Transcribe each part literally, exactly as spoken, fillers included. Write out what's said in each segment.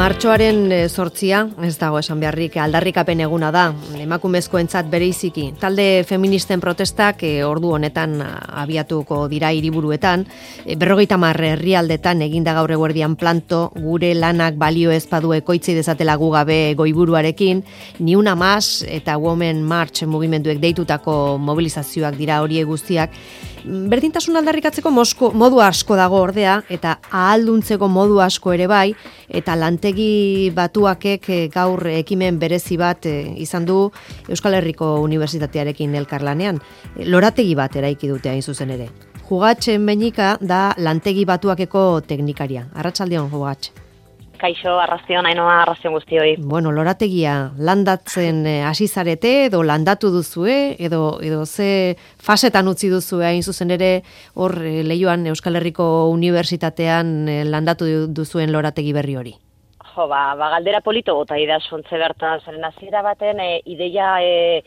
Martxoaren zortzia, ez dago esan beharrik, aldarrikapen eguna da, emakumezkoentzat bereiziki. Talde feministen protestak e, ordu honetan abiatuko dira hiriburuetan, e, berrogeita hamar herrialdetan eginda gaur eguerdian planto, gure lanak balio ez badu ekoitzi dezatela gu gabe goiburuarekin, ni una mas eta Women March mugimenduek deitutako mobilizazioak dira horiek guztiak. Berdintasun aldarrikatzeko mosko, modu asko dago ordea, eta ahalduntzeko modu asko ere bai, eta lantegi batuakek gaur ekimen berezi bat izan du Euskal Herriko Unibertsitatearekin elkarlanean. Lorategi bat eraiki dute hain zuzen ere. Jugatxe Meñika da lantegi batuakeko teknikaria. Arratsaldeon, Jugatxe. Kaixo, arraztion, hainoa, arraztion guztioi. Bueno, lorategia landatzen hasi zarete, edo landatu duzue, edo, edo ze fasetan utzi duzue hain zuzen ere, hor Leioan Euskal Herriko Unibertsitatean landatu duzuen lorategi berri hori. Jo, ba, ba galdera polito gota ida sontze bertan zaren hasiera baten e, ideia e,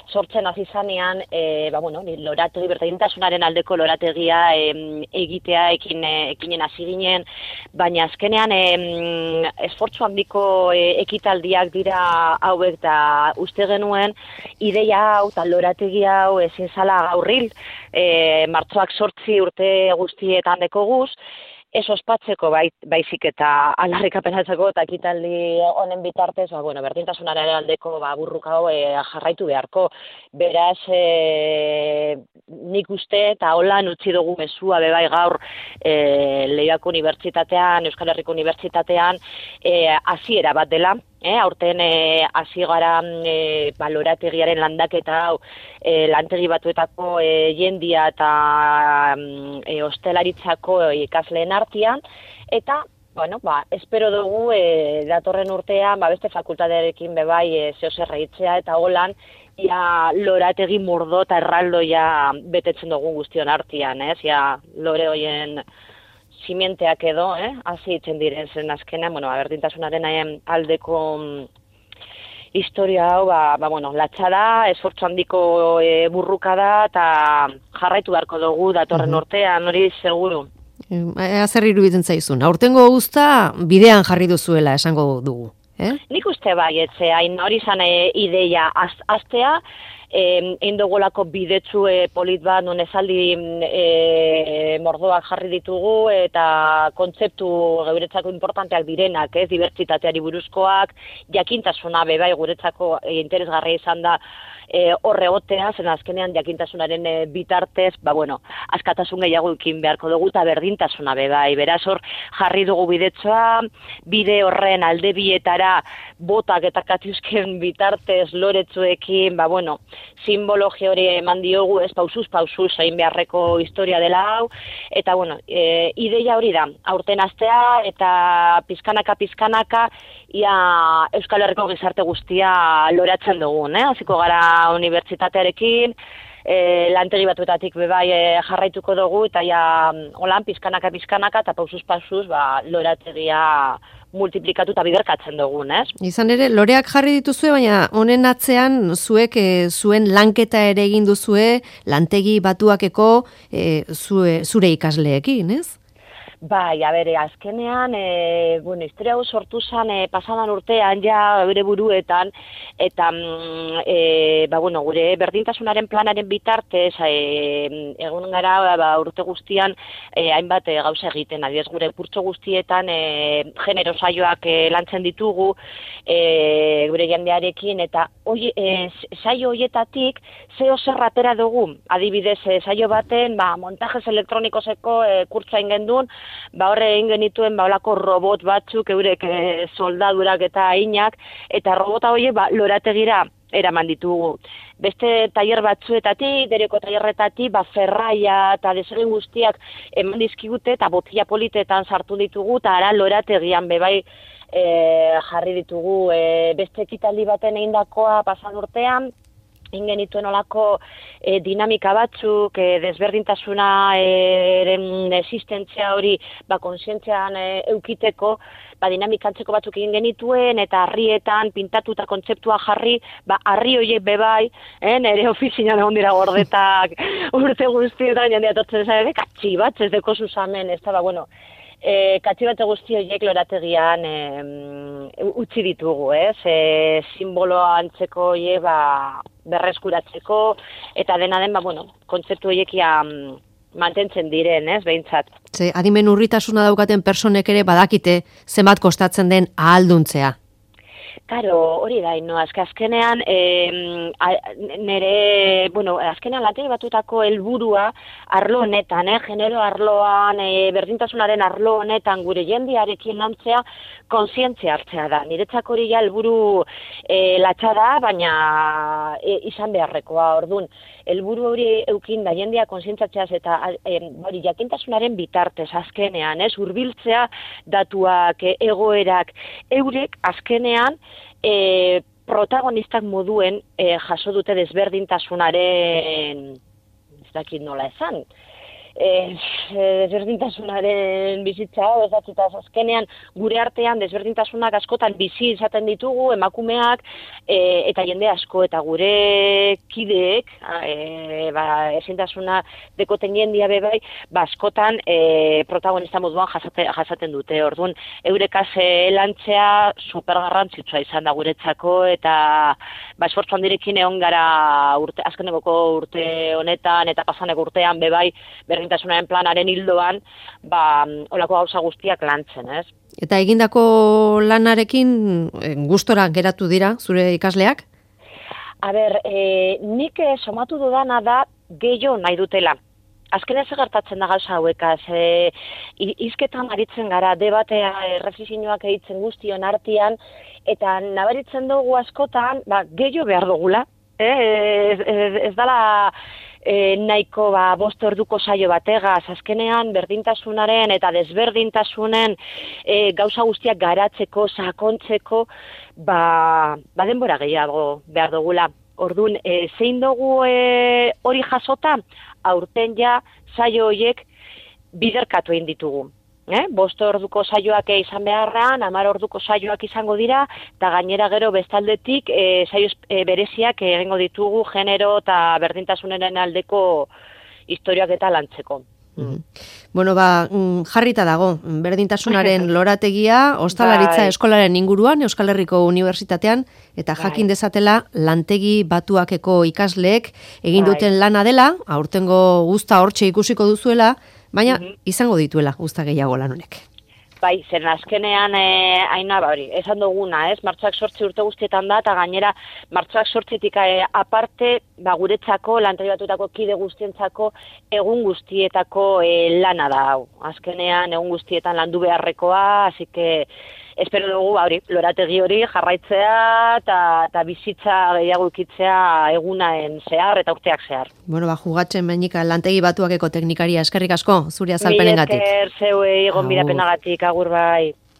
sortzen hasi zanean, e, ba bueno, lorategi berdintasunaren aldeko lorategia e, egitea ekin e, ekinen hasi ginen, baina azkenean e, esfortzu handiko e, ekitaldiak dira hauek da uste genuen ideia hau eta lorategi hau ezin zala gaurril, e, martxoak zortzi urte guztietan dekoguz, ez ospatzeko bai, baizik eta aldarrikapenatzeko eta ekitaldi honen bitartez, ba, bueno, berdintasunaren aldeko ba, burruka hau e, jarraitu beharko. Beraz, e, nik uste eta holan utzi dugu mezua bebai gaur e, Leioako Unibertsitatean, Euskal Herriko Unibertsitatean, e, hasiera bat dela. Eh, aurten hasi e, gara e, balorategiaren landaketa hau e, lantegi batuetako e, jendia eta e, ostelaritzako ikasleen artean, eta bueno, ba, espero dugu e, datorren urtean ba, beste fakultatearekin bebai e, zehozer reitzea eta holan ia lorategi mordo eta erraldoia betetzen dugu guztion artean, ez? Ja, lore hoien simienteak edo, eh, hasi itzen diren zen azkenean, bueno, berdintasunaren aldeko historia hau, ba, ba bueno, latxa da, esfortzu handiko e, burruka da, eta jarraitu beharko dugu datorren urtean, hori seguru. Zer iruditzen zaizun, aurtengo guzta bidean jarri duzuela esango dugu, eh? Nik uste bai, etzeain, hori zan e, ideia az, aztea, egin dugulako bidetsu e, polit bat, non esaldi e, mordoak jarri ditugu eta kontzeptu guretzako importanteak direnak, ez, dibertsitateari buruzkoak, jakintasuna bebai guretzako e, interesgarria izan da e, horre gotea, zen azkenean jakintasunaren e, bitartez, ba bueno, askatasun gehiago ikin beharko dugu eta berdintasuna bebai, beraz hor jarri dugu bidetsua, bide horren alde bietara botak eta katiusken bitartez loretzuekin, ba bueno, simbologia hori eman diogu, ez pausuz, pausuz, egin beharreko historia dela hau, eta bueno, e, ideia hori da, aurten astea eta pizkanaka, pizkanaka, ia Euskal Herriko gizarte guztia loratzen dugun, eh? Hasiko gara unibertsitatearekin, e, lantegi batuetatik bebai e, jarraituko dugu, eta ja, holan, pizkanaka, pizkanaka, eta pausuz, pausuz, ba, lorategia multiplikatu eta biderkatzen dugun, ez? Izan ere, loreak jarri dituzue, baina honen atzean zuek e, zuen lanketa ere egin duzue lantegi batuakeko e, zue, zure ikasleekin, ez? Bai, a bere, azkenean, e, bueno, historia hau sortu zen e, pasadan urtean, ja, bere buruetan, eta, e, ba, bueno, gure berdintasunaren planaren bitartez, e, egun gara, ba, urte guztian, e, hainbat e, gauza egiten, adiez, gure kurtso guztietan, e, genero saioak e, lantzen ditugu, e, gure jendearekin, eta oi, e, saio hoietatik, zeo zerratera dugu, adibidez, e, saio baten, ba, montajes elektronikozeko e, kurtsa ingendun, ba horre egin genituen ba holako robot batzuk eurek e, soldadurak eta ainak, eta robota horiek ba lorategira eraman ditugu. Beste tailer batzuetatik, dereko tailerretatik, ba ferraia eta desegin guztiak eman dizkigute eta botila politetan sartu ditugu eta ara lorategian bebai e, jarri ditugu. E, beste ekitaldi baten egindakoa pasan urtean, ingenituen olako e, dinamika batzuk, e, desberdintasuna eren existentzia hori ba, konsientzian e, eukiteko, ba, dinamikantzeko batzuk egin genituen, eta harrietan pintatu eta kontzeptua jarri, ba, harri horiek bebai, eh, nire ofizinan egon dira gordetak urte guztietan, jendea totzen zara, katxi bat, ez deko zuzamen, ez da, ba, bueno, E, katxibate guzti horiek lorategian e, utzi ditugu, ez? E, simboloa antzeko hie, ba, berreskuratzeko, eta dena den, ba, bueno, kontzeptu horiek mantentzen diren, ez, behintzat. Ze, adimen urritasuna daukaten personek ere badakite zenbat kostatzen den ahalduntzea. Karo, hori da, no, azke azkenean, e, nere, bueno, azkenean lategi batutako helburua arlo honetan, eh, genero arloan, e, berdintasunaren arlo honetan gure jendearekin lantzea, kontzientzia hartzea da. Niretzako hori ja helburu e, latxa da, baina e, izan beharrekoa, ordun. Helburu hori eukin da jendea kontzientzatzeaz eta e, hori jakintasunaren bitartez azkenean, ez, hurbiltzea datuak, e, egoerak, eurek azkenean E, protagonistak moduen e, jaso dute desberdintasunaren, ez dakit nola esan, e, desberdintasunaren bizitza, ez dakit azkenean gure artean desberdintasunak askotan bizi izaten ditugu, emakumeak, e, eta jende asko, eta gure kideek, e, ba, ezintasuna dekoten jendia bebai, ba, askotan e, protagonista moduan jasate, jasaten dute. Orduan, eurekaz e, lantzea supergarrantzitsua izan da guretzako, eta ba, esfortzu handirekin egon gara urte, azkenekoko urte honetan, eta pasaneko urtean bebai, berdintasunaren planaren hildoan, ba, olako gauza guztiak lantzen, ez? Eta egindako lanarekin gustora geratu dira zure ikasleak? A ber, e, nik e, somatu dudana da gehiago nahi dutela. Azkenean gertatzen da gauza hauekaz, e, hizketan aritzen gara, debatea, erreflexioak egiten guztion artean, eta nabaritzen dugu askotan, ba, gehiago behar dugula, eh? ez, ez, ez dala e, nahiko ba, bost orduko saio bategaz, azkenean berdintasunaren eta desberdintasunen e, gauza guztiak garatzeko, sakontzeko, ba, ba denbora gehiago behar dugula. Orduan, e, zein dugu e, hori jasota, aurten ja saio horiek biderkatu egin ditugu. Eh? Bost orduko saioak izan beharrean, hamar orduko saioak izango dira, eta gainera gero bestaldetik e, saio e, bereziak egingo ditugu genero eta berdintasunaren aldeko historiak eta lantzeko. Mm. Bueno, ba, jarrita dago, berdintasunaren lorategia, ostalaritza bai. Eskolaren inguruan, Euskal Herriko Unibertsitatean, eta jakin dezatela lantegi batuakeko ikasleek egin bai. Duten lana dela, aurtengo guzta hortxe ikusiko duzuela, baina mm-hmm. izango dituela guzta gehiago lan honek. Bai, zen azkenean, e, aina, ba, hori, esan duguna, ez, martxoak sortzi urte guztietan da, eta gainera, martxoak sortzitik e, aparte, ba, guretzako, lantegi batutako kide guztientzako, egun guztietako e, lana da, hau. Azkenean, egun guztietan landu beharrekoa, hasi que, espero dugu, ba, hori, lorategi hori jarraitzea, eta bizitza gehiago ikitzea egunaen zehar, eta urteak zehar. Bueno, ba, jugatzen menika lantegi batuakeko teknikaria, eskerrik asko, zure azalpenengatik. Mi esker, zeuei, gonbidapenagatik, agur bai.